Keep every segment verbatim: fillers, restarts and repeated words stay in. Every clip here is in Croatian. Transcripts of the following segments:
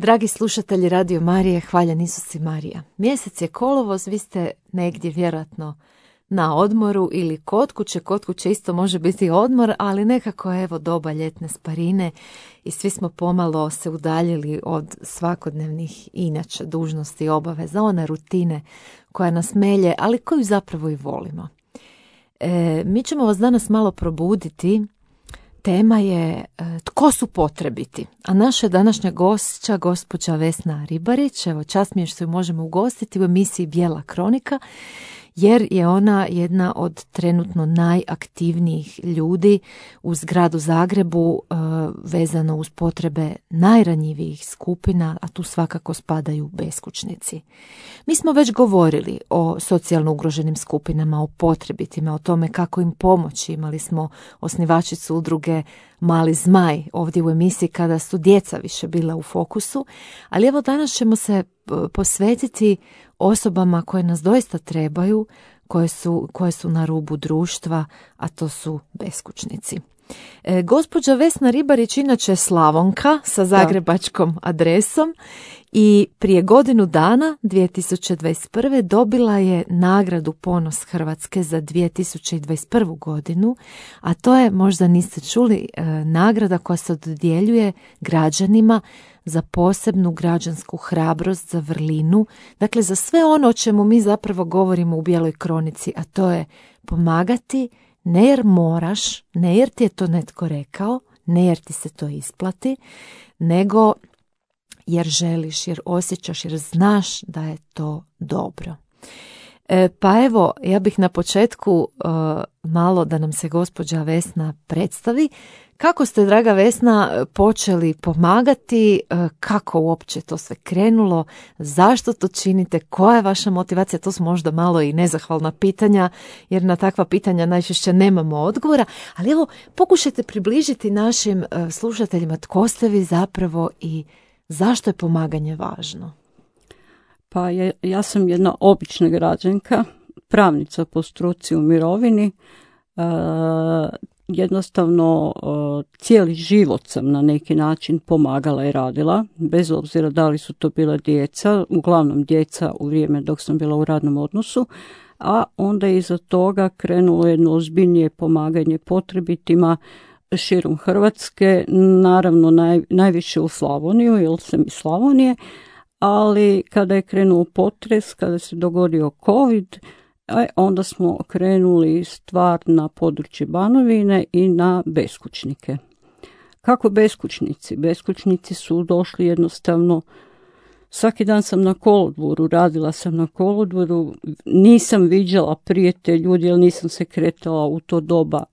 Dragi slušatelji Radio Marije, hvaljen Isus i Marija. Mjesec je kolovoz, vi ste negdje vjerojatno na odmoru ili kod kuće. Kod kuće isto može biti odmor, ali nekako evo doba ljetne sparine i svi smo pomalo se udaljili od svakodnevnih inače dužnosti i obaveza, one rutine koja nas melje, ali koju zapravo i volimo. E, mi ćemo vas danas malo probuditi. Tema je e, tko su potrebiti, a naša današnja gošća, gospođa Vesna Ribarić, evo čast mi je što ju možemo ugostiti u emisiji Bijela kronika, jer je ona jedna od trenutno najaktivnijih ljudi u gradu Zagrebu e, vezano uz potrebe najranjivijih skupina, a tu svakako spadaju beskućnici. Mi smo već govorili o socijalno ugroženim skupinama, o potrebitima, o tome kako im pomoći. Imali smo osnivačicu udruge Mali zmaj ovdje u emisiji kada su djeca više bila u fokusu, ali evo danas ćemo se posvetiti osobama koje nas doista trebaju, koje su, koje su na rubu društva, a to su beskućnici. E, gospođa Vesna Ribarić inače je Slavonka sa zagrebačkom adresom i prije godinu dana, dvije tisuće dvadeset prve. dobila je nagradu Ponos Hrvatske za dvije tisuće dvadeset prvu. godinu, a to je, možda niste čuli, e, nagrada koja se dodjeljuje građanima za posebnu građansku hrabrost, za vrlinu, dakle za sve ono o čemu mi zapravo govorimo u Bijeloj kronici, a to je pomagati ne jer moraš, ne jer ti je to netko rekao, ne jer ti se to isplati, nego jer želiš, jer osjećaš, jer znaš da je to dobro. E, pa evo, ja bih na početku e, malo da nam se gospođa Vesna predstavi. Kako ste, draga Vesna, počeli pomagati, e, kako uopće to sve krenulo, zašto to činite, koja je vaša motivacija? To su možda malo i nezahvalna pitanja, jer na takva pitanja najčešće nemamo odgovora, ali evo, pokušajte približiti našim e, slušateljima tko ste vi zapravo i zašto je pomaganje važno. Pa je, ja sam jedna obična građanka, pravnica po struci u mirovini. E, jednostavno e, cijeli život sam na neki način pomagala i radila, bez obzira da li su to bila djeca, uglavnom djeca u vrijeme dok sam bila u radnom odnosu, a onda iza toga krenulo jedno ozbiljnije pomaganje potrebitima širom Hrvatske, naravno naj, najviše u Slavoniju, jer sam iz Slavonije, ali kada je krenuo potres, kada se dogodio COVID, onda smo krenuli stvar na područje Banovine i na beskućnike. Kako beskućnici? Beskućnici su došli jednostavno, svaki dan sam na kolodvoru, radila sam na kolodvoru, nisam viđala prije te ljudi, jer nisam se kretala u to doba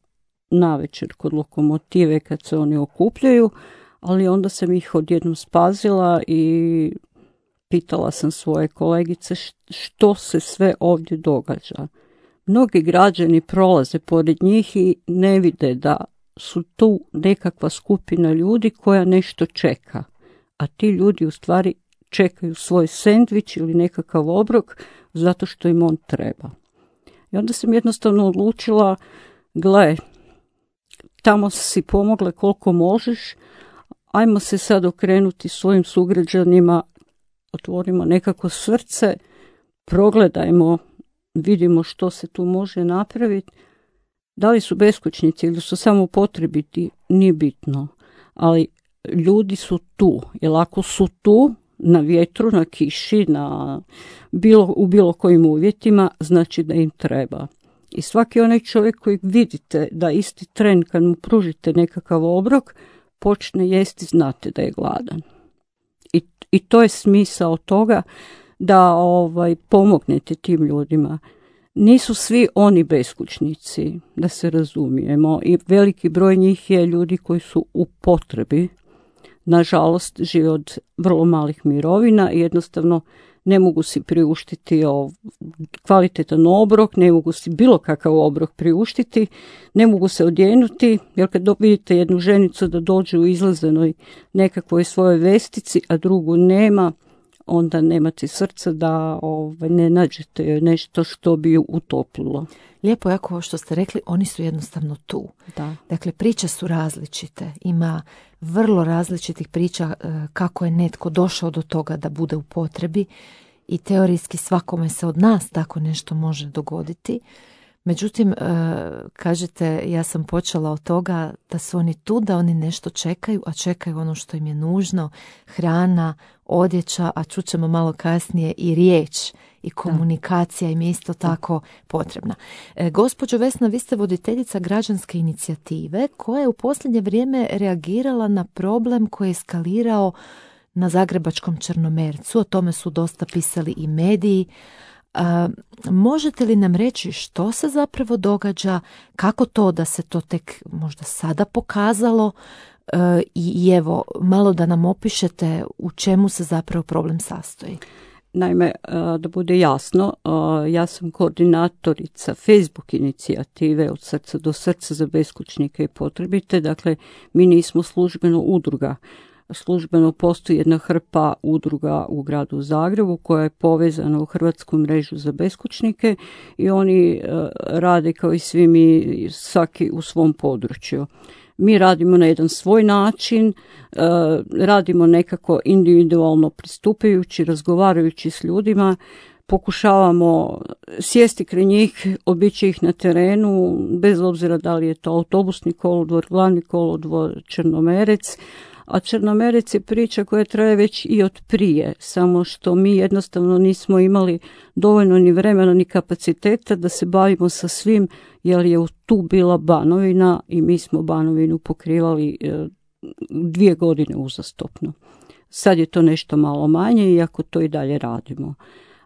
navečer kod lokomotive kad se oni okupljaju, ali onda sam ih odjednom spazila i pitala sam svoje kolegice što se sve ovdje događa. Mnogi građani prolaze pored njih i ne vide da su tu nekakva skupina ljudi koja nešto čeka, a ti ljudi u stvari čekaju svoj sendvič ili nekakav obrok zato što im on treba. I onda sam jednostavno odlučila, gle, tamo si pomogla koliko možeš, ajmo se sad okrenuti svojim sugrađanima, otvorimo nekako srce, progledajmo, vidimo što se tu može napraviti. Da li su beskućnici ili su samo potrebiti, nije bitno, ali ljudi su tu, jer ako su tu, na vjetru, na kiši, na bilo, u bilo kojim uvjetima, znači da im treba. I svaki onaj čovjek koji vidite da isti tren kad mu pružite nekakav obrok, počne jesti, znate da je gladan. I, i to je smisao toga da ovaj, pomognete tim ljudima. Nisu svi oni beskućnici, da se razumijemo, i veliki broj njih je ljudi koji su u potrebi. Nažalost, žive od vrlo malih mirovina i jednostavno ne mogu si priuštiti kvalitetan obrok, ne mogu si bilo kakav obrok priuštiti, ne mogu se odjenuti, jer kad vidite jednu ženicu da dođe u izlazenoj nekakvoj svojoj vestici, a drugu nema, onda nemate srca da ovaj, ne nađete nešto što bi ju utoplilo. Lijepo jako ovo što ste rekli, oni su jednostavno tu. Da. Dakle, priče su različite. Ima vrlo različitih priča kako je netko došao do toga da bude u potrebi i teorijski svakome se od nas tako nešto može dogoditi. Međutim, kažete, ja sam počela od toga da su oni tu, da oni nešto čekaju, a čekaju ono što im je nužno, hrana, odjeća, a čućemo malo kasnije i riječ i komunikacija im je isto tako potrebna. E, gospođo Vesna, vi ste voditeljica građanske inicijative koja je u posljednje vrijeme reagirala na problem koji je eskalirao na zagrebačkom Črnomercu. O tome su dosta pisali i mediji. A, možete li nam reći što se zapravo događa, kako to da se to tek možda sada pokazalo e, i, i evo malo da nam opišete u čemu se zapravo problem sastoji? Naime, da bude jasno, ja sam koordinatorica Facebook inicijative Od srca do srca za beskućnike i potrebite, dakle mi nismo službeno udruga. Službeno postoji jedna hrpa udruga u gradu Zagrebu koja je povezana u Hrvatsku mrežu za beskućnike i oni rade kao i svi mi, svaki u svom području. Mi radimo na jedan svoj način, radimo nekako individualno pristupajući, razgovarajući s ljudima, pokušavamo sjesti kraj njih, obići ih na terenu, bez obzira da li je to autobusni kolodvor, glavni kolodvor, Črnomerec, a Črnomerec je priča koja traje već i od prije, samo što mi jednostavno nismo imali dovoljno ni vremena ni kapaciteta da se bavimo sa svim, jer je tu bila Banovina i mi smo Banovinu pokrivali dvije godine uzastopno. Sad je to nešto malo manje, iako to i dalje radimo.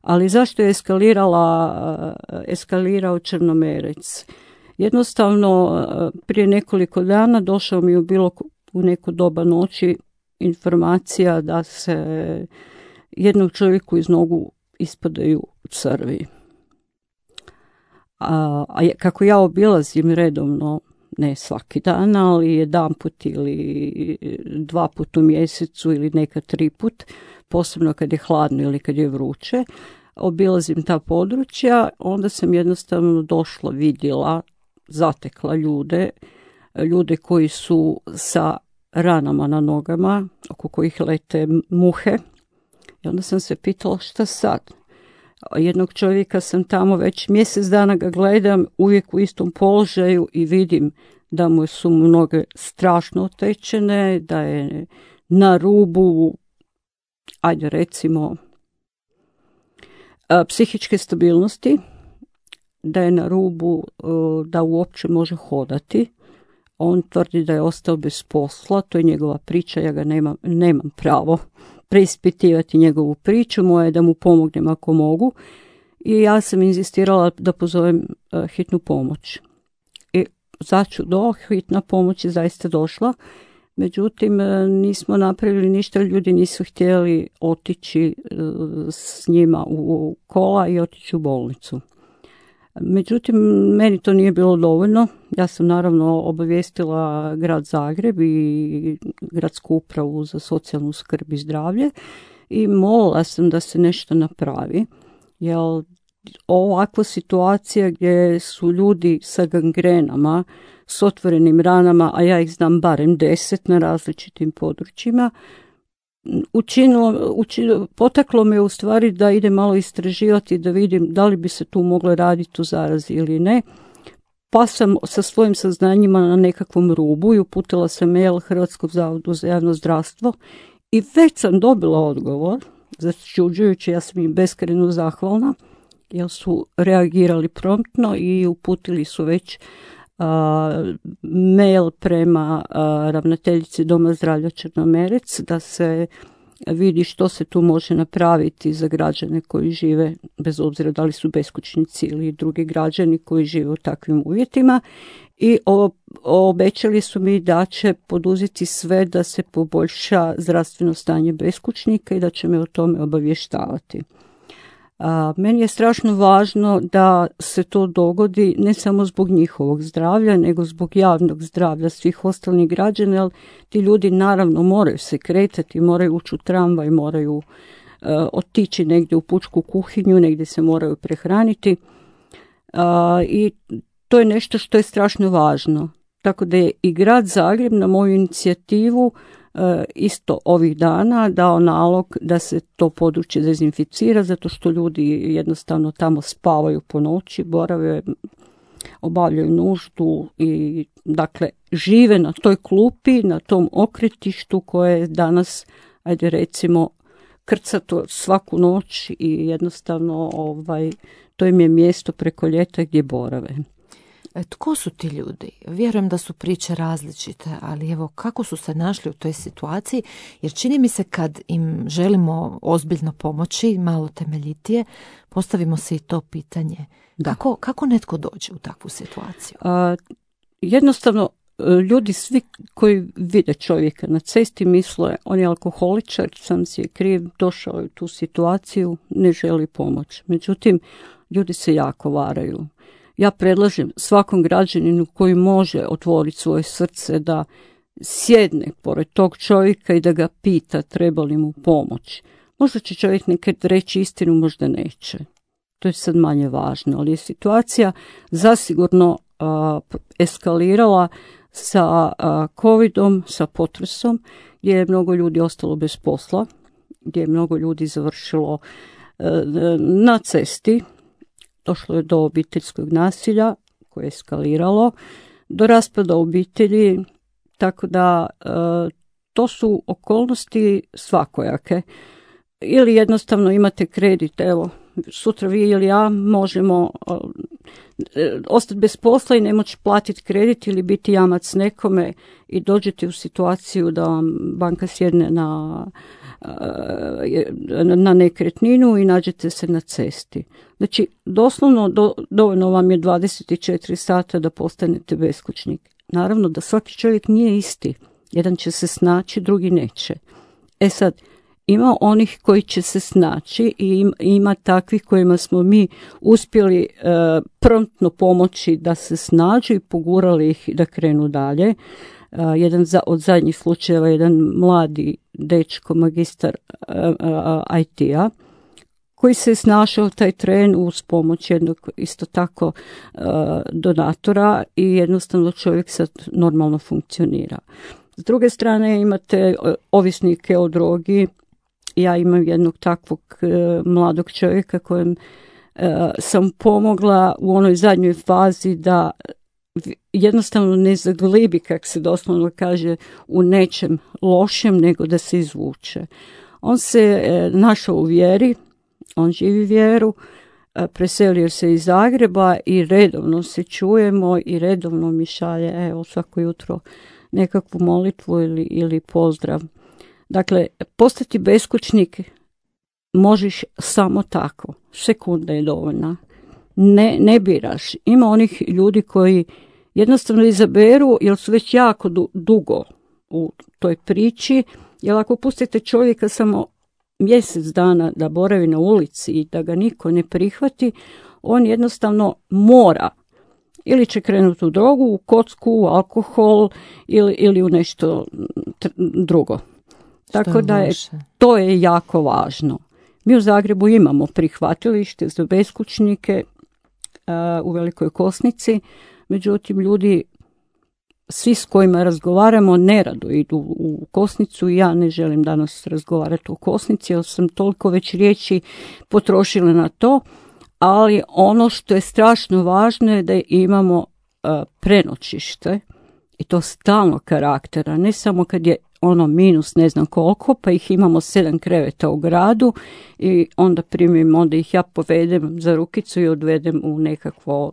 Ali zašto je eskalirala, eskalirao Črnomerec? Jednostavno, prije nekoliko dana došao mi je bilo u neko doba noći informacija da se jednom čovjeku iz nogu ispadaju crvi. A, a kako ja obilazim redovno, ne svaki dan, ali jedan put ili dva put u mjesecu ili nekad tri put, posebno kad je hladno ili kad je vruće, obilazim ta područja, onda sam jednostavno došla, vidjela, zatekla ljude, ljude koji su sa ranama na nogama, oko kojih lete muhe. I onda sam se pitala šta sad? Jednog čovjeka sam tamo već mjesec dana ga gledam, uvijek u istom položaju i vidim da mu su noge strašno otečene, da je na rubu, ajde recimo, psihičke stabilnosti, da je na rubu da uopće može hodati. On tvrdi da je ostao bez posla, to je njegova priča, ja ga nemam, nemam pravo preispitivati njegovu priču, moje je da mu pomognem ako mogu. I ja sam inzistirala da pozovem uh, hitnu pomoć. I začudo, hitna pomoć je zaista došla, međutim uh, nismo napravili ništa, ljudi nisu htjeli otići uh, s njima u, u kola i otići u bolnicu. Međutim, meni to nije bilo dovoljno. Ja sam naravno obavijestila grad Zagreb i gradsku upravu za socijalnu skrb i zdravlje i molila sam da se nešto napravi. Jer ovakva situacija gdje su ljudi sa gangrenama, s otvorenim ranama, a ja ih znam barem deset na različitim područjima, Učinilo, učinilo, potaklo me u stvari da idem malo istraživati da vidim da li bi se tu moglo raditi u zarazi ili ne. Pa sam sa svojim saznanjima na nekakvom rubu i uputila sam mail Hrvatskom zavodu za javno zdravstvo i već sam dobila odgovor, začuđujući, ja sam im beskrajno zahvalna, jer su reagirali promptno i uputili su već Uh, mail prema uh, ravnateljici Doma zdravlja Črnomerec da se vidi što se tu može napraviti za građane koji žive, bez obzira da li su beskućnici ili drugi građani koji žive u takvim uvjetima, i o, obećali su mi da će poduzeti sve da se poboljša zdravstveno stanje beskućnika i da će me o tome obavještavati. A, meni je strašno važno da se to dogodi ne samo zbog njihovog zdravlja, nego zbog javnog zdravlja svih ostalih građana, jer ti ljudi naravno moraju se kretati, moraju ući u tramvaj, moraju otići negdje u pučku kuhinju, negdje se moraju prehraniti. I to je nešto što je strašno važno. Tako da je i grad Zagreb na moju inicijativu isto ovih dana dao nalog da se to područje dezinficira, zato što ljudi jednostavno tamo spavaju po noći, borave, obavljaju nuždu i dakle žive na toj klupi, na tom okretištu koje je danas, ajde recimo, krcato svaku noć i jednostavno ovaj, to im je mjesto preko ljeta gdje borave. E, tko su ti ljudi? Vjerujem da su priče različite, ali evo kako su se našli u toj situaciji, jer čini mi se kad im želimo ozbiljno pomoći, malo temeljitije, postavimo se i to pitanje. Kako, kako netko dođe u takvu situaciju? A, jednostavno, ljudi svi koji vide čovjeka na cesti misle on je alkoholičar, sam si je kriv, došao je u tu situaciju, ne želi pomoć. Međutim, ljudi se jako varaju. Ja predlažem svakom građaninu koji može otvoriti svoje srce da sjedne pored tog čovjeka i da ga pita treba li mu pomoć. Možda će čovjek nekad reći istinu, možda neće. To je sad manje važno, ali je situacija zasigurno a, eskalirala sa a, covidom, sa potresom, gdje je mnogo ljudi ostalo bez posla, gdje je mnogo ljudi završilo a, na cesti. Došlo je do obiteljskog nasilja koje je eskaliralo, do raspada obitelji, tako da e, to su okolnosti svakojake. Ili jednostavno imate kredit, evo, sutra vi ili ja možemo e, ostati bez posla i ne moći platiti kredit ili biti jamac nekome i dođete u situaciju da vam banka sjedne na na nekretninu i nađete se na cesti. Znači, doslovno do, dovoljno vam je dvadeset četiri sata da postanete beskućnik. Naravno da svaki čovjek nije isti. Jedan će se snaći, drugi neće. E sad, ima onih koji će se snaći i ima, ima takvih kojima smo mi uspjeli e, promptno pomoći da se snađu i pogurali ih da krenu dalje. Uh, jedan za, od zadnjih slučajeva, jedan mladi dečko, magistar uh, uh, I T-a, koji se je snašao taj tren uz pomoć jednog isto tako uh, donatora i jednostavno čovjek sad normalno funkcionira. S druge strane imate ovisnike o drogi. Ja imam jednog takvog uh, mladog čovjeka kojem uh, sam pomogla u onoj zadnjoj fazi da jednostavno ne zaglibi, kak se doslovno kaže, u nečem lošem, nego da se izvuče. On se e, našao u vjeri, on živi vjeru, e, preselio se iz Zagreba i redovno se čujemo i redovno mi šalje evo, svako jutro nekakvu molitvu ili, ili pozdrav. Dakle, postati beskućnik možeš samo tako, sekunda je dovoljna. Ne, ne biraš. Ima onih ljudi koji jednostavno izaberu jer su već jako du, dugo u toj priči, jer ako pustite čovjeka samo mjesec dana da boravi na ulici i da ga niko ne prihvati, on jednostavno mora ili će krenuti u drogu, u kocku, u alkohol ili, ili u nešto drugo. Tako da je, to je jako važno. Mi u Zagrebu imamo prihvatilište za beskućnike u Velikoj Kosnici, međutim ljudi svi s kojima razgovaramo nerado idu u Kosnicu i ja ne želim danas razgovarati o Kosnici jer sam toliko već riječi potrošila na to, ali ono što je strašno važno je da imamo uh, prenoćište i to stalno karaktera, ne samo kad je ono minus ne znam koliko, pa ih imamo sedam kreveta u gradu i onda primim, onda ih ja povedem za rukicu i odvedem u nekakvo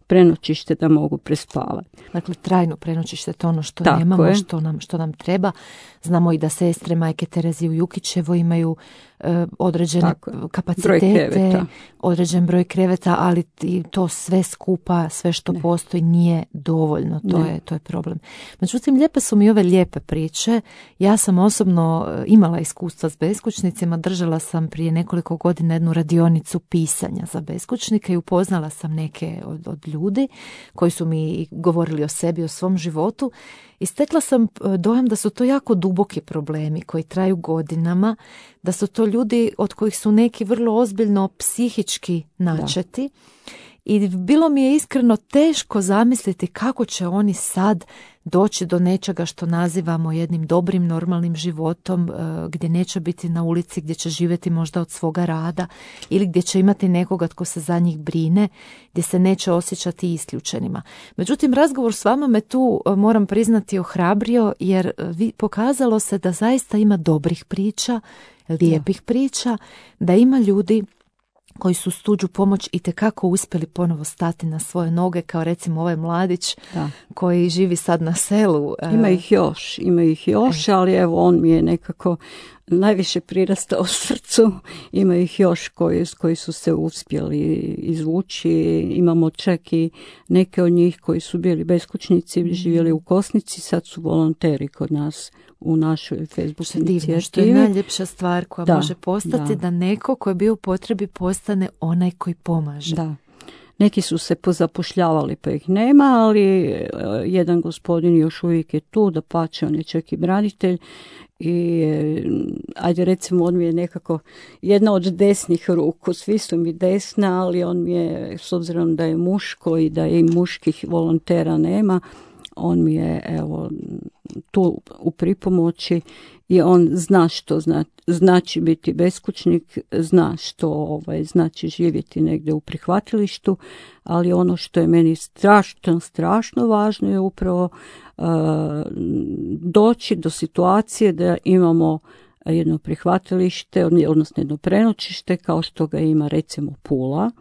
prenoćište da mogu prespavati. Dakle, trajno prenoćište, to ono što Tako nemamo, što nam, što nam treba. Znamo i da sestre majke Terezije u Jukićevo imaju e, određene kapacitete, određen broj kreveta, ali i to sve skupa, sve što ne. postoji nije dovoljno. To je, to je problem. Međutim, lijepe su mi ove lijepe priče. Ja sam osobno imala iskustva s beskućnicima, držala sam prije nekoliko godina jednu radionicu pisanja za beskućnike i upoznala sam neke od, od ljudi ljudi koji su mi govorili o sebi, o svom životu i stekla sam dojam da su to jako duboki problemi koji traju godinama, da su to ljudi od kojih su neki vrlo ozbiljno psihički načeti. Da. I bilo mi je iskreno teško zamisliti kako će oni sad doći do nečega što nazivamo jednim dobrim, normalnim životom, gdje neće biti na ulici, gdje će živjeti možda od svoga rada ili gdje će imati nekoga tko se za njih brine, gdje se neće osjećati isključenima. Međutim, razgovor s vama me tu, moram priznati, ohrabrio jer vi pokazalo se da zaista ima dobrih priča, lijepih priča, da ima ljudi koji su s tuđu pomoć itekako uspjeli ponovo stati na svoje noge, kao recimo ovaj mladić da. Koji živi sad na selu. Ima ih još, ima ih još, e. ali evo on mi je nekako najviše prirastao srcu. Ima ih još koji, koji su se uspjeli izvući. Imamo čak i neke od njih koji su bili beskućnici, živjeli u Kosnici, sad su volonteri kod nas u našoj Facebook inicijativi. Što je najljepša stvar koja da, može postati, da. da neko ko je bio u potrebi postane onaj koji pomaže. Da. Neki su se pozapošljavali pa ih nema, ali jedan gospodin još uvijek je tu, da pače, on je čak i branitelj i ajde recimo on mi je nekako jedna od desnih ruku, svi su mi desna, ali on mi je, s obzirom da je muško i da i muških volontera nema, on mi je evo tu u pripomoći i on zna što zna, znači biti beskućnik, zna što ovaj, znači živjeti negdje u prihvatilištu, ali ono što je meni strašno, strašno važno je upravo uh, doći do situacije da imamo jedno prihvatilište, odnosno jedno prenoćište kao što ga ima recimo Pula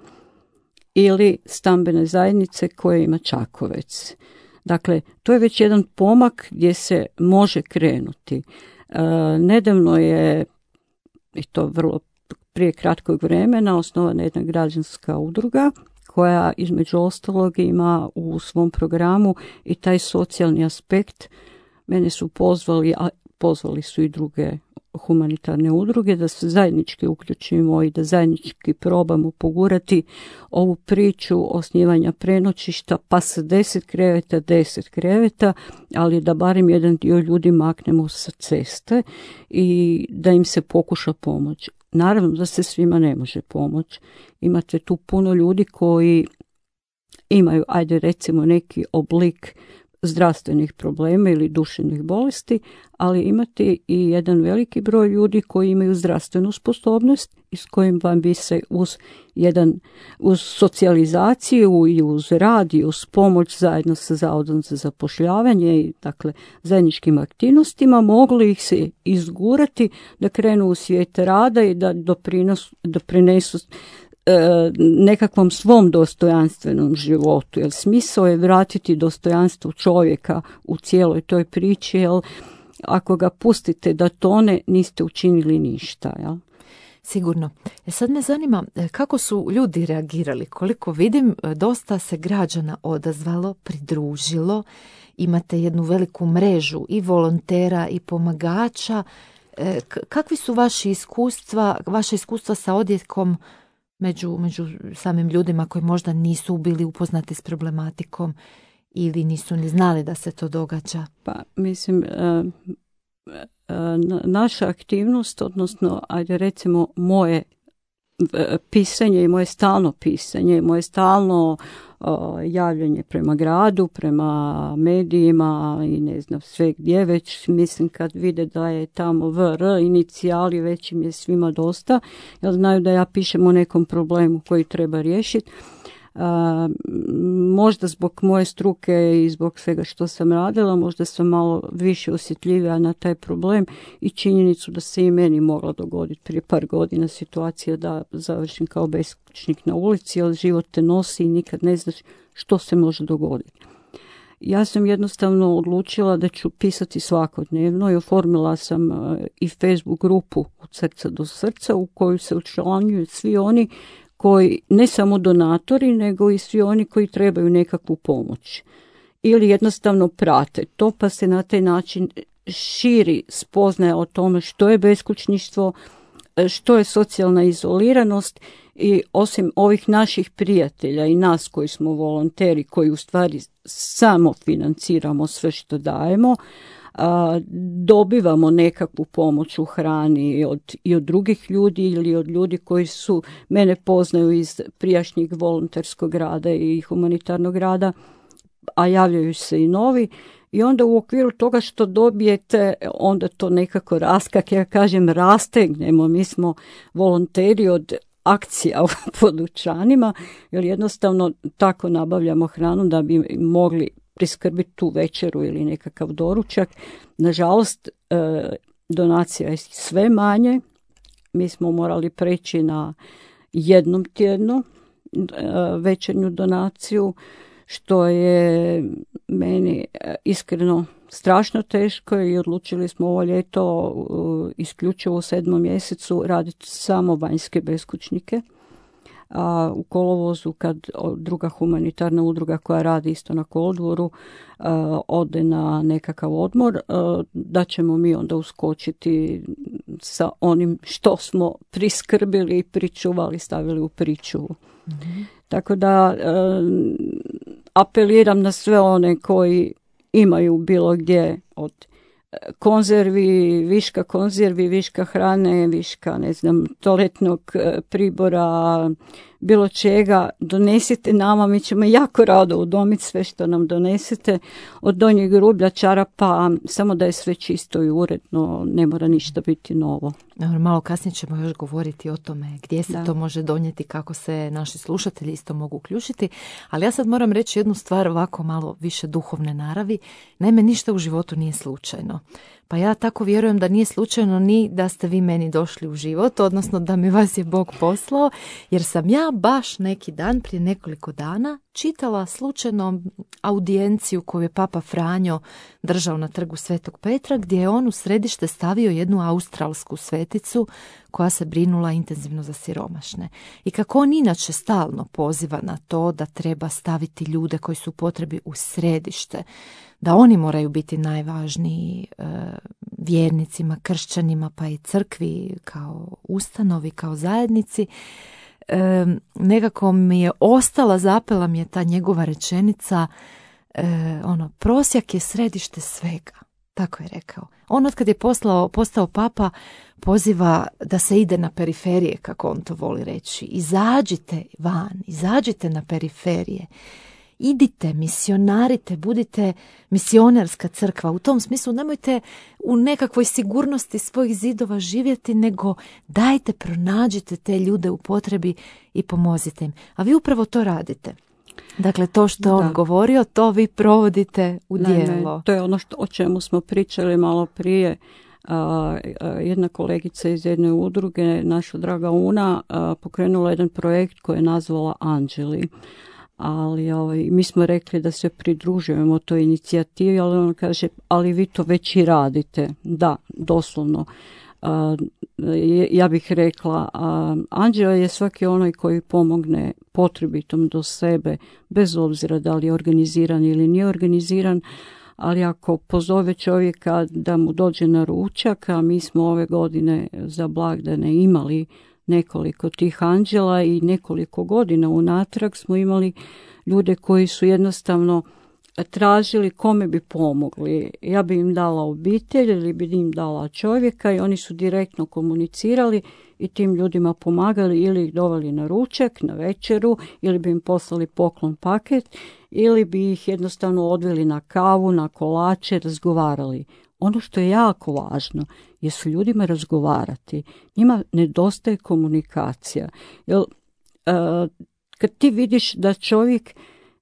ili stambene zajednice koje ima Čakovec. Dakle, to je već jedan pomak gdje se može krenuti. E, nedavno je, i to vrlo prije kratkog vremena, osnovana jedna građanska udruga koja između ostalog ima u svom programu i taj socijalni aspekt. Mene su pozvali, a pozvali su i druge humanitarne udruge da se zajednički uključimo i da zajednički probamo pogurati ovu priču osnivanja prenoćišta, pa sa deset kreveta, deset kreveta, ali da barem jedan dio ljudi maknemo sa ceste i da im se pokuša pomoći. Naravno da se svima ne može pomoći. Imate tu puno ljudi koji imaju, ajde recimo, neki oblik zdravstvenih problema ili duševnih bolesti, ali imate i jedan veliki broj ljudi koji imaju zdravstvenu sposobnost i s kojim vam bi se uz jedan uz socijalizaciju i uz rad i uz pomoć zajedno sa Zavodom za zapošljavanje i dakle zajedničkim aktivnostima mogli ih se izgurati da krenu u svijet rada i da doprinos, doprinesu nekakvom svom dostojanstvenom životu, jer smisao je vratiti dostojanstvo čovjeka u cijeloj toj priči, jer ako ga pustite da tone, niste učinili ništa. Jel? Sigurno. E sad me zanima kako su ljudi reagirali. Koliko vidim, dosta se građana odazvalo, pridružilo. Imate jednu veliku mrežu i volontera i pomagača. E, kakvi su vaši iskustva, vaše iskustva sa odjekom Među, među samim ljudima koji možda nisu bili upoznati s problematikom ili nisu ni znali da se to događa? Pa mislim, e, e, naša aktivnost, odnosno ajde recimo moje pisanje i moje stalno pisanje, moje stalno o, javljanje prema gradu, prema medijima i ne znam sve gdje već, mislim kad vide da je tamo V R inicijali, već im je svima dosta, jer znaju da ja pišem o nekom problemu koji treba riješiti. A, možda zbog moje struke i zbog svega što sam radila, možda sam malo više osjetljivija na taj problem i činjenicu da se i meni mogla dogoditi prije par godina situacija da završim kao beskućnik na ulici, jer život te nosi i nikad ne znaš što se može dogoditi. Ja sam jednostavno odlučila da ću pisati svakodnevno i oformila sam i Facebook grupu Od srca do srca u koju se učlanjuju svi oni koji, ne samo donatori, nego i svi oni koji trebaju nekakvu pomoć. Ili jednostavno prate to, pa se na taj način širi spoznaja o tome što je beskućništvo, što je socijalna izoliranost I osim ovih naših prijatelja i nas koji smo volonteri, koji u stvari samo financiramo sve što dajemo, a, dobivamo nekakvu pomoć u hrani od, i od drugih ljudi ili od ljudi koji su mene poznaju iz prijašnjeg volonterskog rada i humanitarnog rada, a javljaju se i novi. I onda u okviru toga što dobijete, onda to nekako raskak, ja kažem rastegnemo, mi smo volonteri od akcija po dućanima, jer jednostavno tako nabavljamo hranu da bi mogli priskrbiti tu večeru ili nekakav doručak. Nažalost, donacija je sve manje, mi smo morali preći na jednom tjednu večernju donaciju, što je meni iskreno strašno teško i odlučili smo ovo ljeto isključivo u sedmom mjesecu raditi samo vanjske beskućnike. A u kolovozu kad druga humanitarna udruga koja radi isto na kolodvoru ode na nekakav odmor, da ćemo mi onda uskočiti sa onim što smo priskrbili i pričuvali, stavili u pričuvu. Mm-hmm. Tako da apeliram na sve one koji imaju bilo gdje od konzervi, viška konzervi, viška hrane, viška, ne znam, toaletnog pribora, bilo čega, donesite nama, mi ćemo jako rado udomiti sve što nam donesete, od donjeg rublja, čarapa, samo da je sve čisto i uredno, ne mora ništa biti novo. Malo kasnije ćemo još govoriti o tome gdje se da. to može donijeti, kako se naši slušatelji isto mogu uključiti, ali ja sad moram reći jednu stvar ovako malo više duhovne naravi. Naime, ništa u životu nije slučajno. Pa ja tako vjerujem da nije slučajno ni da ste vi meni došli u život, odnosno da mi vas je Bog poslao, jer sam ja baš neki dan, prije nekoliko dana, čitala slučajno audijenciju koju je Papa Franjo držao na trgu Svetog Petra, gdje je on u središte stavio jednu australsku sveticu koja se brinula intenzivno za siromašne. I kako on inače stalno poziva na to da treba staviti ljude koji su u potrebi u središte, da oni moraju biti najvažniji e, vjernicima, kršćanima, pa i crkvi kao ustanovi, kao zajednici, e, nekako mi je ostala, zapela mi je ta njegova rečenica, e, ono, prosjak je središte svega. Tako je rekao. On od kad je poslao, postao papa poziva da se ide na periferije, kako on to voli reći. Izađite van, izađite na periferije. Idite, misionarite, budite misionarska crkva. U tom smislu nemojte u nekakvoj sigurnosti svojih zidova živjeti, nego dajte, pronađite te ljude u potrebi i pomozite im. A vi upravo to radite. Dakle, to što on govorio, to vi provodite u djelo. Ne, to je ono što, o čemu smo pričali malo prije. Uh, uh, jedna kolegica iz jedne udruge, naša draga Una, uh, pokrenula jedan projekt koji je nazvala Anđeli. Ali ovaj, mi smo rekli da se pridružujemo toj inicijativi, ali on kaže, ali vi to već i radite. Da, doslovno. Uh, ja bih rekla, uh, anđeo je svaki onaj koji pomogne potrebitom do sebe, bez obzira da li je organiziran ili nije organiziran, ali ako pozove čovjeka da mu dođe na ručak, a mi smo ove godine za blagdane imali nekoliko tih anđela i nekoliko godina unatrag smo imali ljude koji su jednostavno tražili kome bi pomogli. Ja bi im dala obitelj ili bi im dala čovjeka i oni su direktno komunicirali i tim ljudima pomagali ili ih doveli na ručak, na večeru, ili bi im poslali poklon paket, ili bi ih jednostavno odveli na kavu, na kolače, razgovarali. Ono što je jako važno je s ljudima razgovarati. Njima nedostaje komunikacija. Jer, uh, kad ti vidiš da čovjek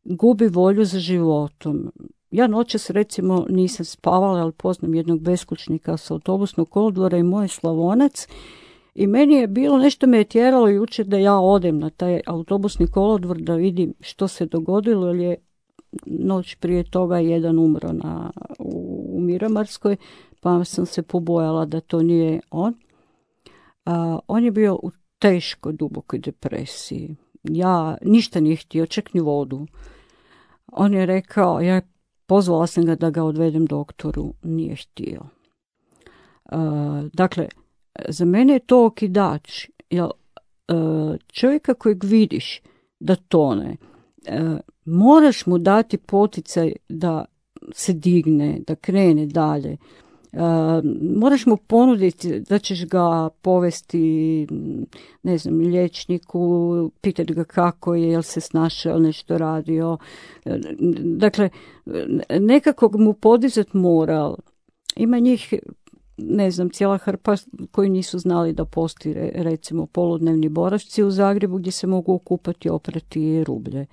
gubi volju za životom. Ja noćas recimo nisam spavala, ali poznam jednog beskućnika sa autobusnog kolodvora i moj Slavonac. I meni je bilo, nešto me je tjeralo jučer da ja odem na taj autobusni kolodvor da vidim što se dogodilo, jer je noć prije toga jedan umro na, u, u Miramarskoj, pa sam se pobojala da to nije on. A, on je bio u teškoj, dubokoj depresiji. Ja ništa nije htio, čak ni vodu. On je rekao, ja pozvala sam ga da ga odvedem doktoru, nije htio. Uh, dakle, za mene je to okidač, jer čovjeka kojeg vidiš da tone, moraš mu dati poticaj da se digne, da krene dalje. Uh, moraš mu ponuditi da ćeš ga povesti, ne znam, liječniku, pitati ga kako je, jel se snašao, nešto radio. Dakle, nekako mu podizati moral. Ima njih, ne znam, cijela hrpa koji nisu znali da postoji, recimo, poludnevni boravci u Zagrebu gdje se mogu okupati i oprati rublje.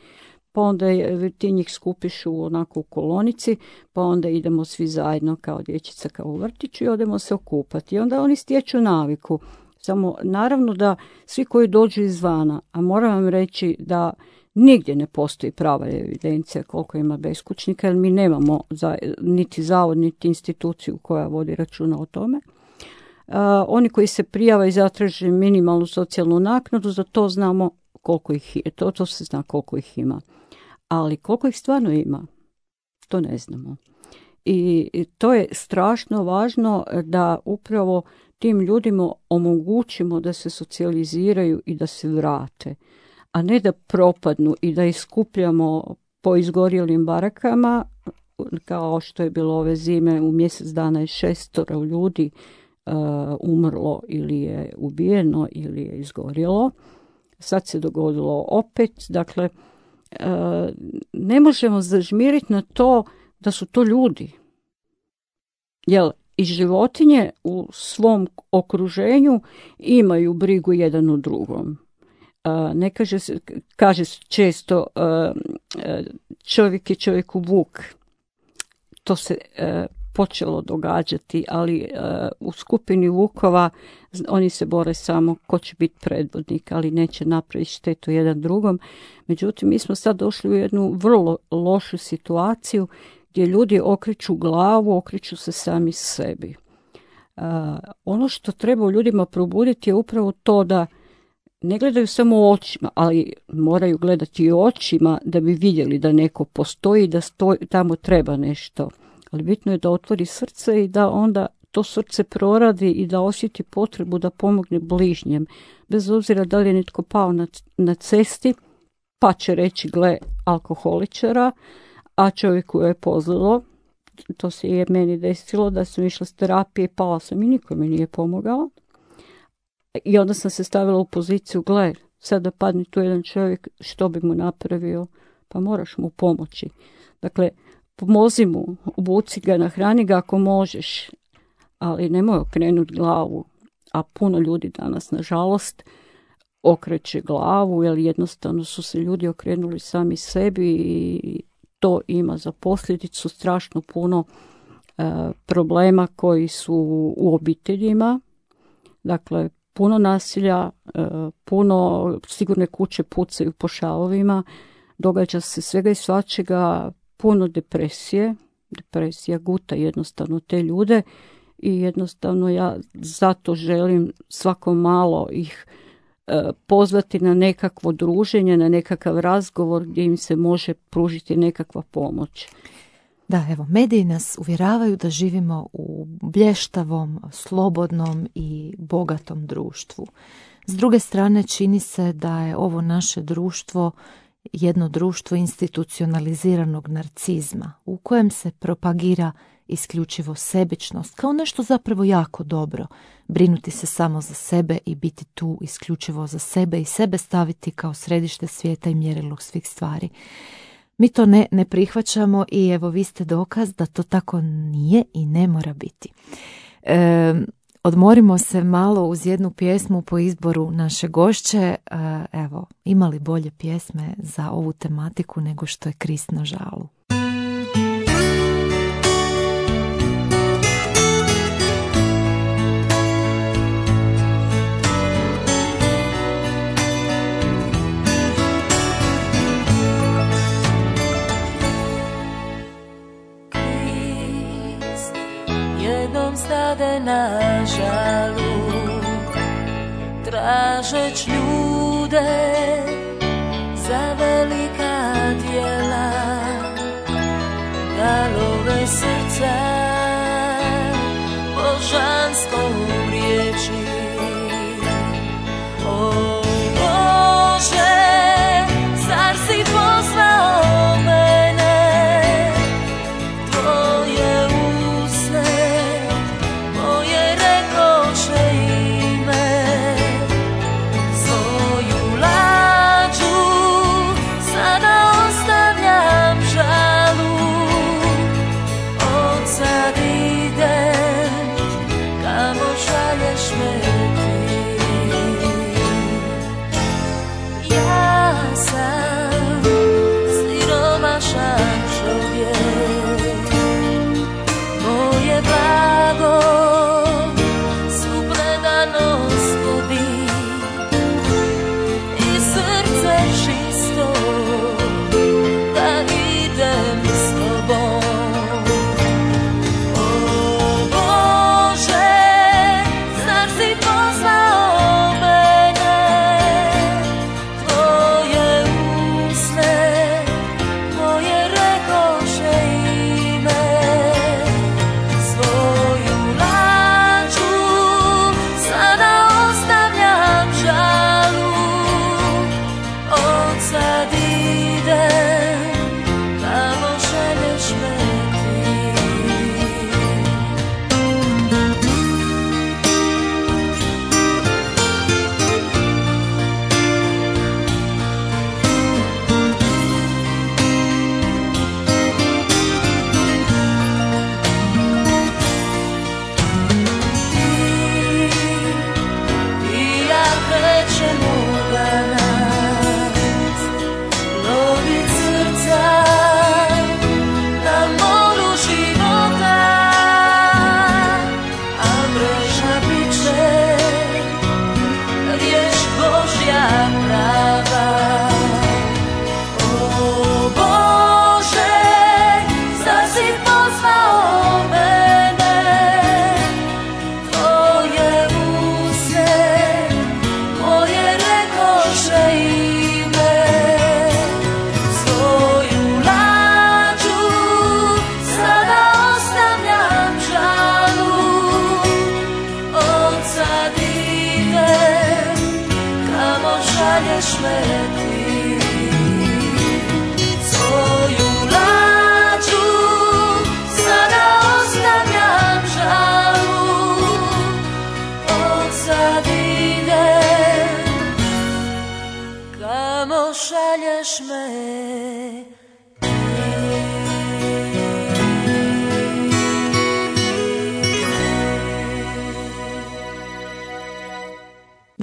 Pa onda je, ti njih skupiš u onako u kolonici, pa onda idemo svi zajedno kao dječica, kao u vrtiću i odemo se okupati. I onda oni stječu naviku. Samo naravno da svi koji dođu izvana, a moram vam reći da nigdje ne postoji prava evidencija koliko ima beskućnika, jer mi nemamo za, niti zavod, niti instituciju koja vodi računa o tome. Uh, oni koji se prijave i zatraže minimalnu socijalnu naknadu, za to znamo koliko ih je, to, to se zna koliko ih ima. Ali koliko ih stvarno ima, to ne znamo. I, i to je strašno važno da upravo tim ljudima omogućimo da se socijaliziraju i da se vrate, a ne da propadnu i da ih skupljamo po izgorjelim barakama, kao što je bilo ove zime, u mjesec dana je šestoro ljudi uh, umrlo ili je ubijeno ili je izgorjelo. Sad se dogodilo opet, dakle, ne možemo zažmiriti na to da su to ljudi. Jer i životinje u svom okruženju imaju brigu jedan o drugom. Ne kaže se, kaže se često čovjek je čovjeku vuk. To se počelo događati, ali u skupini vukova oni se bore samo ko će biti predvodnik, ali neće napraviti štetu jedan drugom. Međutim, mi smo sad došli u jednu vrlo lošu situaciju gdje ljudi okreću glavu, okreću se sami sebi. Uh, ono što treba u ljudima probuditi je upravo to da ne gledaju samo očima, ali moraju gledati i očima da bi vidjeli da neko postoji, da stoji, tamo treba nešto. Ali bitno je da otvori srce i da onda to srce proradi i da osjeti potrebu da pomogne bližnjem. Bez obzira da li je netko pao na, na cesti, pa će reći gle alkoholičara, a čovjeku je pozlilo. To se je meni desilo da sam išla s terapije, pala sam i niko mi nije pomogao. I onda sam se stavila u poziciju, gle, sad da padne tu jedan čovjek, što bi mu napravio? Pa moraš mu pomoći. Dakle, pomozi mu, obuci ga, nahrani ga ako možeš, ali nemoj okrenuti glavu. A puno ljudi danas, nažalost, okreće glavu, jer jednostavno su se ljudi okrenuli sami sebi i to ima za posljedicu strašno puno e, problema koji su u obiteljima. Dakle, puno nasilja, e, puno sigurne kuće pucaju po šavovima, događa se svega i svačega, puno depresije. Depresija guta jednostavno te ljude i jednostavno ja zato želim svako malo ih e, pozvati na nekakvo druženje, na nekakav razgovor gdje im se može pružiti nekakva pomoć. Da, evo, mediji nas uvjeravaju da živimo u blještavom, slobodnom i bogatom društvu. S druge strane, čini se da je ovo naše društvo jedno društvo institucionaliziranog narcizma u kojem se propagira isključivo sebičnost kao nešto zapravo jako dobro, brinuti se samo za sebe i biti tu isključivo za sebe i sebe staviti kao središte svijeta i mjerilo svih stvari. Mi to ne, ne prihvaćamo i evo vi ste dokaz da to tako nije i ne mora biti. E, odmorimo se malo uz jednu pjesmu po izboru naše gošće. E, evo, imali bolje pjesme za ovu tematiku nego što je Krist na žalu. Stade na žalu, tražeć ljude za velika djela, da love srca božanskom riječi. O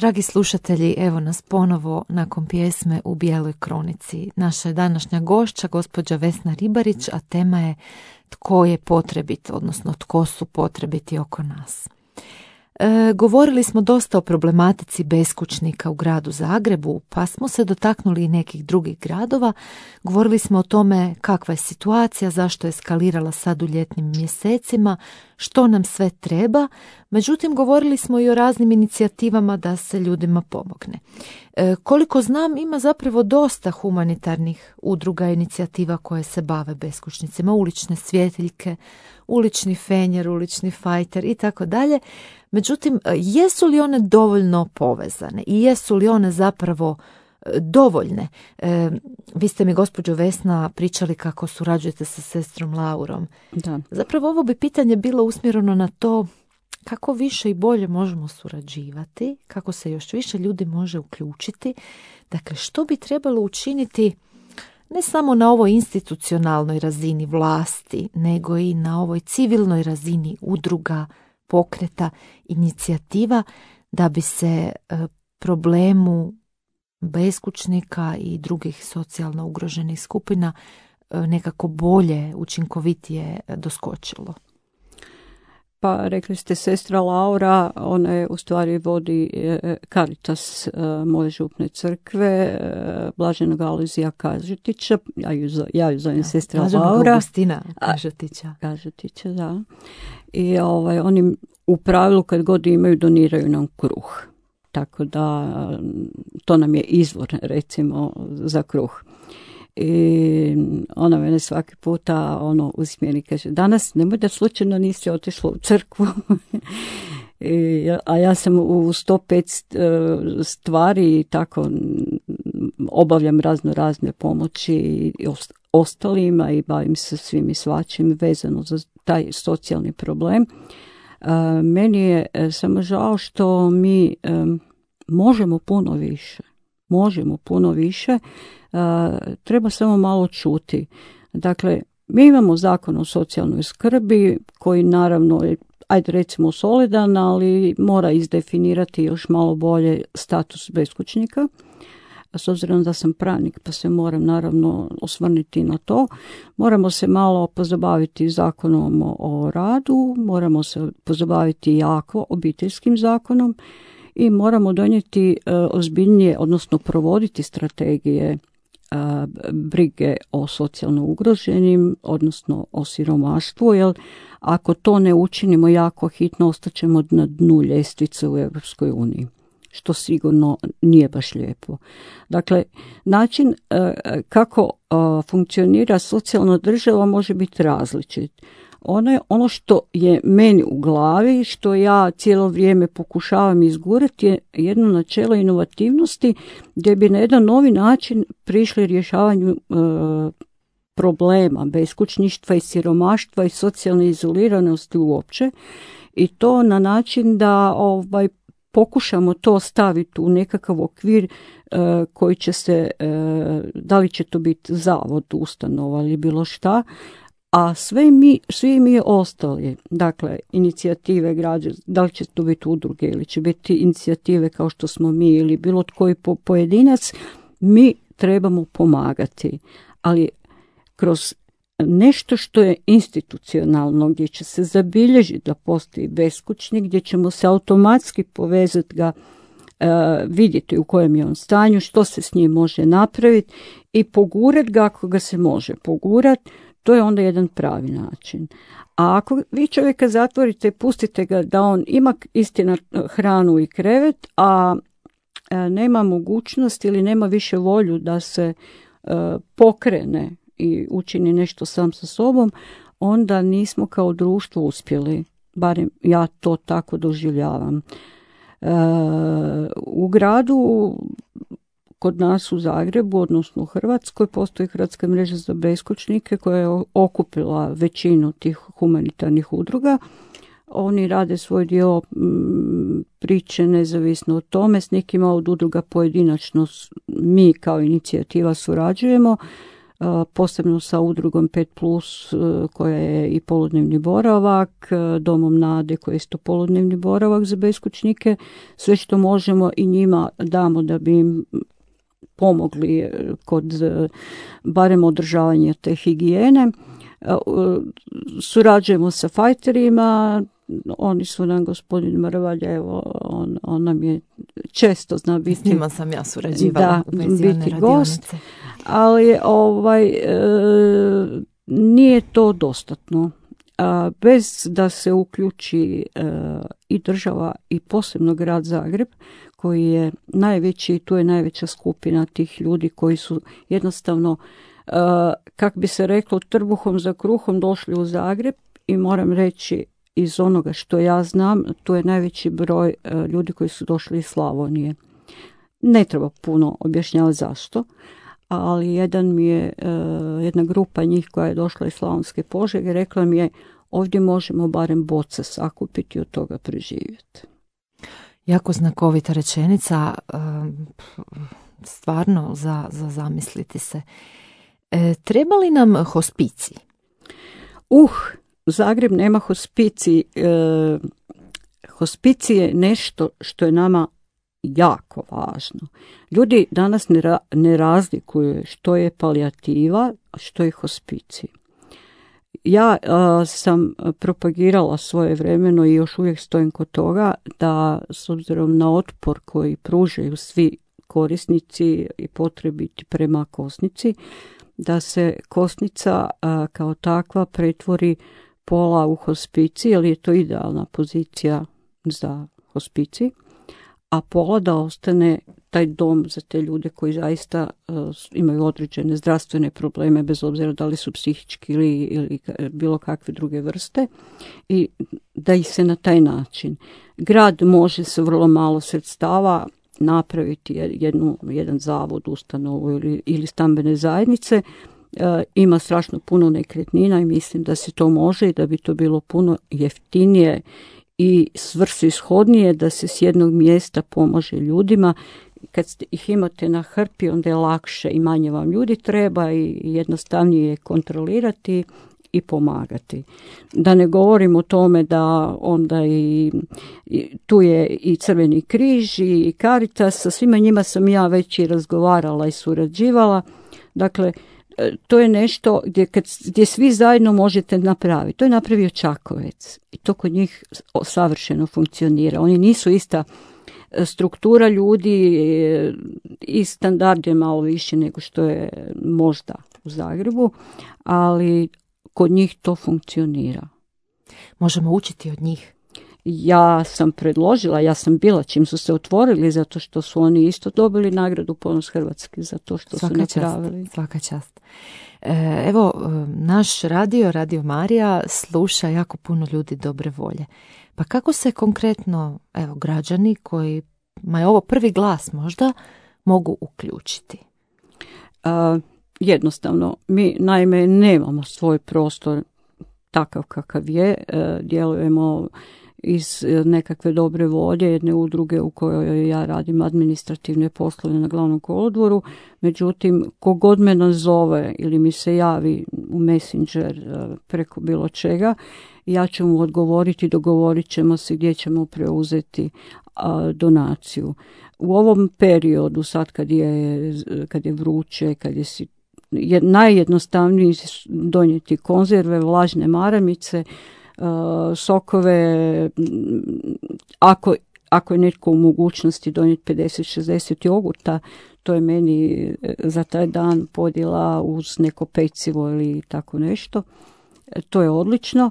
Dragi slušatelji, evo nas ponovo nakon pjesme U bijeloj kronici. Naša je današnja gošća, gospođa Vesna Ribarić, a tema je tko je potrebit, odnosno tko su potrebiti oko nas. E, govorili smo dosta o problematici beskućnika u gradu Zagrebu, pa smo se dotaknuli i nekih drugih gradova. Govorili smo o tome kakva je situacija, zašto je eskalirala sad u ljetnim mjesecima, što nam sve treba. Međutim, govorili smo i o raznim inicijativama da se ljudima pomogne. E, koliko znam, ima zapravo dosta humanitarnih udruga i inicijativa koje se bave beskućnicima, ulične svjetiljke, ulični fenjer, ulični fajter i tako dalje. Međutim, jesu li one dovoljno povezane i jesu li one zapravo dovoljne? E, vi ste mi, gospođo Vesna, pričali kako surađujete sa sestrom Laurom. Da. Zapravo ovo bi pitanje bilo usmjereno na to kako više i bolje možemo surađivati, kako se još više ljudi može uključiti. Dakle, što bi trebalo učiniti ne samo na ovoj institucionalnoj razini vlasti, nego i na ovoj civilnoj razini udruga, pokreta, inicijativa, da bi se problemu beskućnika i drugih socijalno ugroženih skupina nekako bolje, učinkovitije doskočilo. Pa rekli ste sestra Laura, ona je u stvari vodi Caritas moje župne crkve, Blaženog Alojzija Kažetića, ja ju, ja ju zovem ja, sestra Blaženog Laura. Augustina Kažetića. Kažetića, da. I ovaj, oni u pravilu kad god imaju doniraju nam kruh. Tako da to nam je izvor, recimo, za kruh. I ona mene svaki puta ono usmjeri, kaže, danas nemoj da slučajno nisi otišla u crkvu. I, a ja sam u sto pet stvari i tako obavljam razno razne pomoći i ostalima i bavim se svim i svačim vezano za taj socijalni problem. Meni je samo žao što mi možemo puno više. Možemo puno više. Treba samo malo čuti. Dakle, mi imamo zakon o socijalnoj skrbi koji naravno je, ajde recimo solidan, ali mora izdefinirati još malo bolje status beskućnika. S obzirom da sam pravnik, pa se moram naravno osvrnuti na to. Moramo se malo pozabaviti zakonom o radu, moramo se pozabaviti jako obiteljskim zakonom i moramo donijeti e, ozbiljnije, odnosno provoditi strategije e, brige o socijalno ugroženim, odnosno o siromaštvu, jer ako to ne učinimo jako hitno, ostaćemo na dnu ljestvice u Europskoj uniji, što sigurno nije baš lijepo. Dakle, način e, kako e, funkcionira socijalna država može biti različit. Ono je ono što je meni u glavi, što ja cijelo vrijeme pokušavam izgurati, je jedno načelo inovativnosti gdje bi na jedan novi način prišli rješavanju e, problema beskućništva i siromaštva i socijalne izoliranosti uopće, i to na način da ovaj pokušamo to staviti u nekakav okvir e, koji će se, e, da li će to biti zavod, ustanova ili bilo šta, a sve mi, svi mi ostali, dakle, inicijative građana, da li će to biti udruge ili će biti inicijative kao što smo mi ili bilo tko po, pojedinac, mi trebamo pomagati, ali kroz nešto što je institucionalno, gdje će se zabilježiti da postoji beskućnik, gdje ćemo se automatski povezati ga, e, vidjeti u kojem je on stanju, što se s njim može napraviti i pogurati ga ako ga se može pogurati. To je onda jedan pravi način. A ako vi čovjeka zatvorite, pustite ga da on ima istina hranu i krevet, a nema mogućnost ili nema više volju da se pokrene i učini nešto sam sa sobom, onda nismo kao društvo uspjeli. Barem ja to tako doživljavam. U gradu, kod nas u Zagrebu, odnosno u Hrvatskoj, postoji Hrvatska mreža za beskućnike koja je okupila većinu tih humanitarnih udruga. Oni rade svoj dio priče nezavisno od tome. S nekima od udruga pojedinačno mi kao inicijativa surađujemo. posebno sa udrugom pet plus koja je i poludnevni boravak, Domom Nade koji je isto poludnevni boravak za beskućnike. Sve što možemo i njima damo da bi im pomogli kod barem održavanja te higijene. Surađujemo sa fajterima, oni su nam, gospodin Mrvalj, evo, on, on nam je često zna biti... S njima sam ja surađivala da, u vezi one biti gost, ali ovaj, e, nije to dostatno. A, bez da se uključi e, i država i posebno grad Zagreb, koji je najveći, tu je najveća skupina tih ljudi koji su jednostavno, e, kak bi se reklo, trbuhom za kruhom došli u Zagreb i moram reći, iz onoga što ja znam, tu je najveći broj e, ljudi koji su došli iz Slavonije. Ne treba puno objašnjavati zašto, ali jedan mi je, e, jedna grupa njih koja je došla iz Slavonske Požege rekla mi je, ovdje možemo barem boce sakupiti i od toga preživjeti. Jako znakovita rečenica, e, stvarno za, za zamisliti se. E, treba li nam hospicij? Uh, Zagreb nema hospicij. E, hospicij je nešto što je nama jako važno. Ljudi danas ne, ra, ne razlikuju što je palijativa, a što je hospicij. Ja a, sam propagirala svoje vremeno i još uvijek stojim kod toga da s obzirom na otpor koji pružaju svi korisnici i potrebiti prema kosnici, da se kosnica a, kao takva pretvori pola u hospicij, jer je to idealna pozicija za hospicij, a pola da ostane taj dom za te ljude koji zaista uh, imaju određene zdravstvene probleme, bez obzira da li su psihički ili, ili bilo kakve druge vrste, i da ih se na taj način. Grad može se vrlo malo sredstava napraviti jednu, jedan zavod, ustanovu ili, ili stambene zajednice. E, ima strašno puno nekretnina i mislim da se to može i da bi to bilo puno jeftinije i svrsishodnije da se s jednog mjesta pomaže ljudima. Kad ih imate na hrpi, onda je lakše i manje vam ljudi treba i jednostavnije je kontrolirati i pomagati. Da ne govorim o tome da onda i, i tu je i Crveni križ i Caritas, sa svima njima sam ja već i razgovarala i surađivala. Dakle, to je nešto gdje, kad, gdje svi zajedno možete napraviti. To je napravio Čakovec i to kod njih savršeno funkcionira. Oni nisu ista struktura ljudi i standard je malo više nego što je možda u Zagrebu, ali kod njih to funkcionira. Možemo učiti od njih. Ja sam predložila, ja sam bila čim su se otvorili, zato što su oni isto dobili nagradu Ponos Hrvatske za to što svaka su napravili. Čast, svaka čast. E, evo, naš radio, Radio Marija, sluša jako puno ljudi dobre volje. Pa kako se konkretno, evo, građani koji ma je ovo prvi glas možda, mogu uključiti? A, jednostavno, mi naime nemamo svoj prostor takav kakav je, e, djelujemo iz nekakve dobre volje jedne udruge u kojoj ja radim administrativne poslove na Glavnom kolodvoru. Međutim, kogod me nazove ili mi se javi u Messenger preko bilo čega, ja ću mu odgovoriti, dogovorit ćemo se gdje ćemo preuzeti a, donaciju. U ovom periodu, sad kad je, kad je vruće, kad je, je najjednostavnije donijeti konzerve, vlažne maramice, sokove, ako, ako je netko u mogućnosti donijeti pedeset šezdeset jogurta, to je meni za taj dan podjela uz neko pecivo ili tako nešto. To je odlično.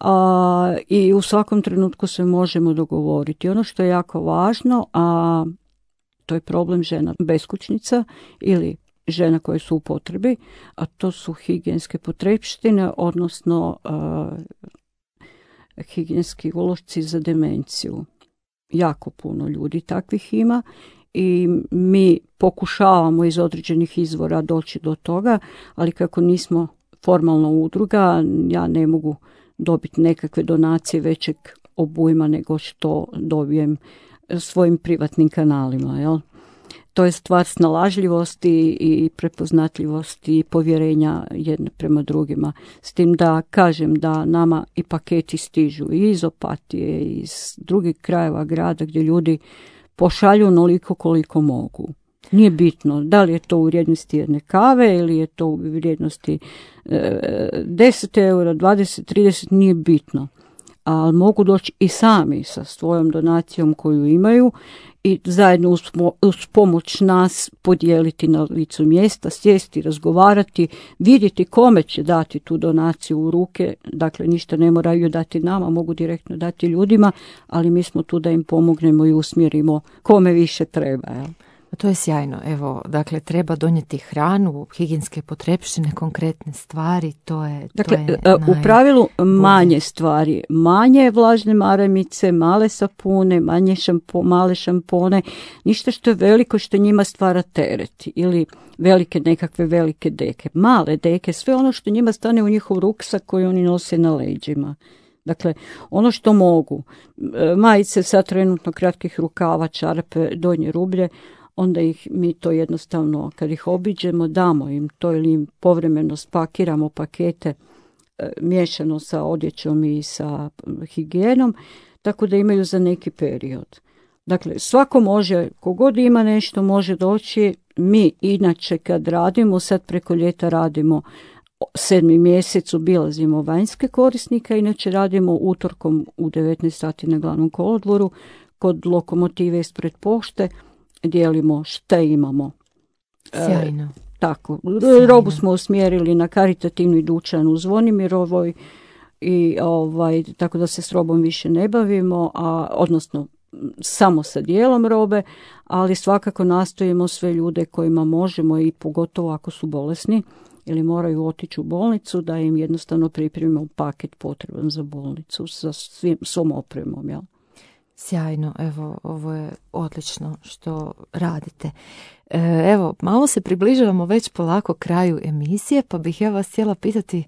A, i u svakom trenutku se možemo dogovoriti. Ono što je jako važno, a to je problem žena beskućnica ili žena koje su u potrebi, a to su higijenske potrepštine, odnosno a, higijenski ulošci za demenciju. Jako puno ljudi takvih ima i mi pokušavamo iz određenih izvora doći do toga, ali kako nismo formalna udruga, ja ne mogu dobiti nekakve donacije većeg obujma nego što dobijem svojim privatnim kanalima. Jel? To je stvar snalažljivosti i prepoznatljivosti i povjerenja jedne prema drugima. S tim da kažem da nama i paketi stižu i iz Opatije, i iz drugih krajeva grada gdje ljudi pošalju onoliko koliko mogu. Nije bitno da li je to u vrijednosti jedne kave ili je to u vrijednosti e, deset eura, dvadeset, trideset, nije bitno. Ali mogu doći i sami sa svojom donacijom koju imaju i zajedno uz, uz pomoć nas podijeliti na licu mjesta, sjesti, razgovarati, vidjeti kome će dati tu donaciju u ruke. Dakle, ništa ne moraju dati nama, mogu direktno dati ljudima, ali mi smo tu da im pomognemo i usmjerimo kome više treba. Jel? To je sjajno. Evo, dakle, treba donijeti hranu, higijenske potrepštine, konkretne stvari, to je... Dakle, to je u pravilu manje stvari, manje vlažne maramice, male sapune, manje šampo, male šampone, ništa što je veliko što njima stvara teret ili velike nekakve velike deke. Male deke, sve ono što njima stane u njihov ruksak koji oni nose na leđima. Dakle, ono što mogu, majice sa trenutno kratkih rukava, čarape, donje rublje, onda ih mi to jednostavno, kad ih obiđemo, damo im to ili im povremeno spakiramo pakete e, miješano sa odjećom i sa higijenom, tako da imaju za neki period. Dakle, svako može, kogod ima nešto, može doći. Mi inače kad radimo, sad preko ljeta radimo sedmi mjesec, obilazimo vanjske korisnike, inače radimo utorkom u devetnaest sati na glavnom kolodvoru, kod lokomotive ispred pošte, dijelimo šta imamo. Sjajno. E, tako. Sjajno. Robu smo usmjerili na karitativni dućan u Zvonimirovoj i ovaj, tako da se s robom više ne bavimo, a, odnosno samo sa dijelom robe, ali svakako nastojimo sve ljude kojima možemo i pogotovo ako su bolesni ili moraju otići u bolnicu, da im jednostavno pripremimo paket potreban za bolnicu sa svim, svom opremom, jel? Sjajno, evo, ovo je odlično što radite. E, evo, malo se približavamo već polako kraju emisije, pa bih ja vas htjela pitati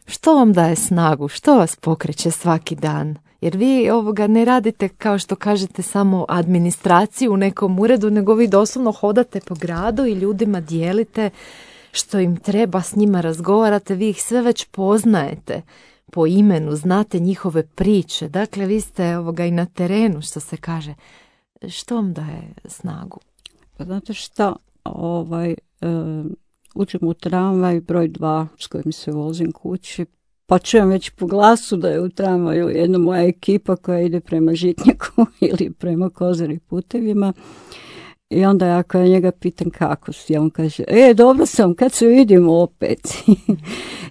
što vam daje snagu, što vas pokreće svaki dan? Jer vi ovoga ne radite, kao što kažete, samo administraciju u nekom uredu, nego vi doslovno hodate po gradu i ljudima dijelite što im treba, s njima razgovarate, vi ih sve već poznajete po imenu, znate njihove priče. Dakle, vi ste ovoga i na terenu, što se kaže. Što vam daje snagu? Znate šta, ovaj, e, uđem u tramvaj broj dva s kojim se vozim kući, pa čujem već po glasu da je u tramvaju jedna moja ekipa koja ide prema Žitnjaku ili prema Kozari putevima. I onda ja koja njega pitam kako si, a on kaže, e, dobro sam, kad se vidimo opet.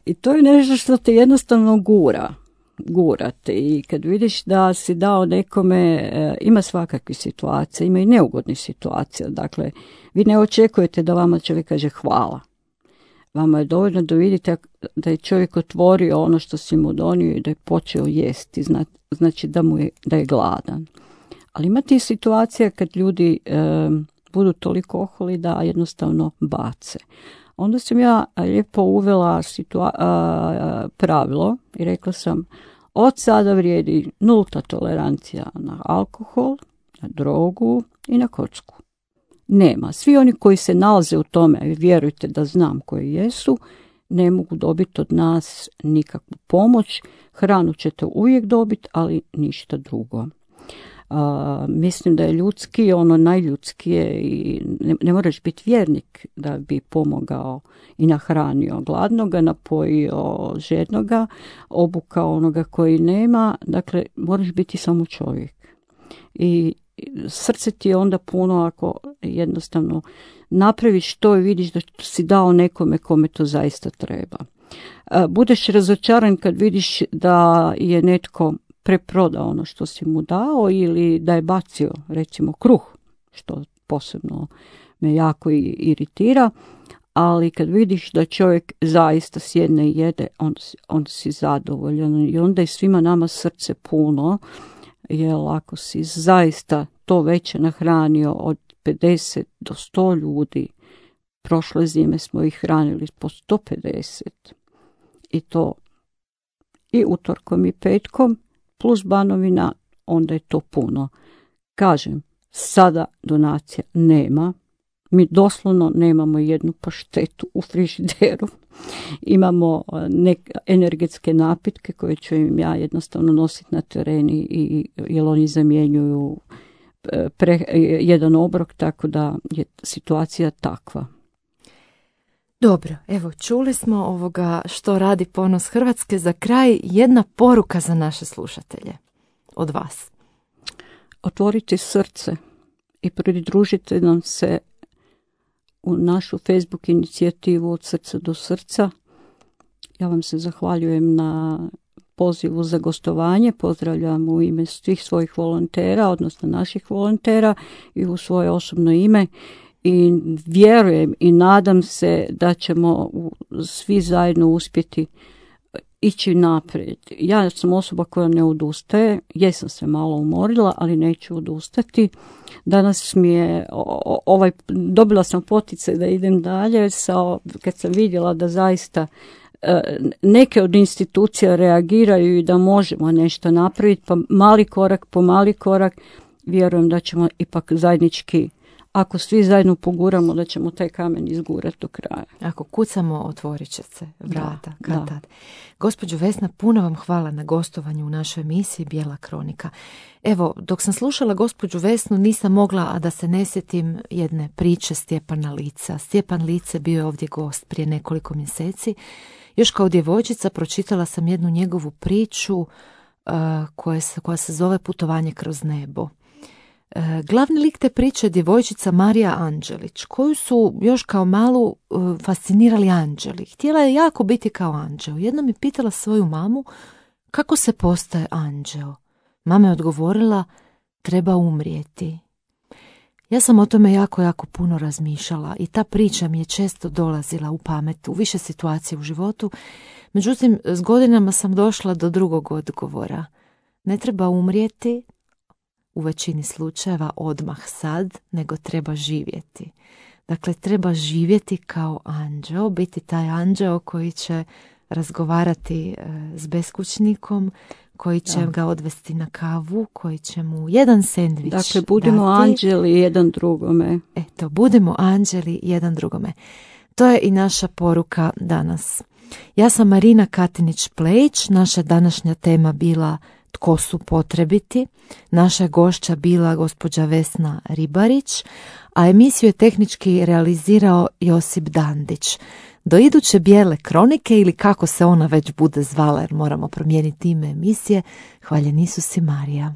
I to je nešto što te jednostavno gura, gurate. I kad vidiš da si dao nekome, e, ima svakakvih situacija, ima i neugodnih situacija. Dakle, vi ne očekujete da vama čovjek kaže hvala. Vama je dovoljno da vidite da je čovjek otvorio ono što si mu donio i da je počeo jesti, znači da, mu je, da je gladan. Ali ima ti situacija kad ljudi e, budu toliko oholi da jednostavno bace. Onda sam ja lijepo uvela situa- a, pravilo i rekla sam, od sada vrijedi nulta tolerancija na alkohol, na drogu i na kocku. Nema. Svi oni koji se nalaze u tome, vjerujte da znam koji jesu, ne mogu dobiti od nas nikakvu pomoć. Hranu ćete uvijek dobiti, ali ništa drugo. Uh, mislim da je ljudski, ono najljudskije i ne, ne moraš biti vjernik da bi pomogao i nahranio gladnoga, napojio žednoga, obukao onoga koji nema. Dakle, moraš biti samo čovjek. I srce ti je onda puno ako jednostavno napraviš to i vidiš da si dao nekome kome to zaista treba. Uh, budeš razočaran kad vidiš da je netko preprodao ono što si mu dao ili da je bacio recimo kruh, što posebno me jako iritira, ali kad vidiš da čovjek zaista sjedne i jede, onda si, onda si zadovoljan i onda je svima nama srce puno, jer ako si zaista to veće nahranio od pedeset do sto ljudi, prošle zime smo ih hranili po sto pedeset i to i utorkom i petkom, plus Banovina, onda je to puno. Kažem, sada donacija nema, Mi doslovno nemamo jednu paštetu u frižideru. Imamo nek energetske napitke koje ću im ja jednostavno nositi na teren i jer oni zamjenjuju pre, jedan obrok, tako da je situacija takva. Dobro, evo čuli smo ovoga što radi Ponos Hrvatske. Za kraj jedna poruka za naše slušatelje od vas. Otvorite srce i pridružite nam se u našu Facebook inicijativu Od srca do srca. Ja vam se zahvaljujem na pozivu za gostovanje. Pozdravljam u ime svih svojih volontera, odnosno naših volontera i u svoje osobno ime. I vjerujem i nadam se da ćemo svi zajedno uspjeti ići naprijed. Ja sam osoba koja ne odustaje, jesam se malo umorila, ali neću odustati. Danas mi je, ovaj, dobila sam poticaj da idem dalje, sa, kad sam vidjela da zaista neke od institucija reagiraju i da možemo nešto napraviti, pa mali korak po mali korak, vjerujem da ćemo ipak zajednički, ako svi zajedno poguramo, da ćemo taj kamen izgurati do kraja. Ako kucamo, otvorit će se vrata. Da, kad da. tad. Gospođo Vesna, puno vam hvala na gostovanju u našoj emisiji Bijela kronika. Evo, dok sam slušala gospođu Vesnu, nisam mogla a da se ne sjetim jedne priče Stjepana Lica. Stjepan Lice bio je ovdje gost prije nekoliko mjeseci. Još kao djevojčica pročitala sam jednu njegovu priču uh, koja, se, koja se zove Putovanje kroz nebo. Uh, glavni lik te priče je djevojčica Marija Anđelić, koju su još kao malu uh, fascinirali anđeli. Htjela je jako biti kao anđeo. Jednom je pitala svoju mamu kako se postaje anđeo. Mama je odgovorila, treba umrijeti. Ja sam o tome jako, jako puno razmišljala i ta priča mi je često dolazila u pamet u više situacija u životu. Međutim, s godinama sam došla do drugog odgovora. Ne treba umrijeti u većini slučajeva odmah sad, nego treba živjeti. Dakle, treba živjeti kao anđeo, biti taj anđeo koji će razgovarati s beskućnikom, koji će da. ga odvesti na kavu, koji će mu jedan sendvič dati. Dakle, budimo dati. anđeli jedan drugome. Eto, budemo anđeli jedan drugome. To je i naša poruka danas. Ja sam Marina Katinić-Plejić, naša današnja tema bila Tko su potrebiti. Naša gošća bila gospođa Vesna Ribarić, a emisiju je tehnički realizirao Josip Dandić. Do iduće Bijele kronike ili kako se ona već bude zvala, jer moramo promijeniti ime emisije, hvaljen Isus i Marija.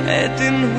et din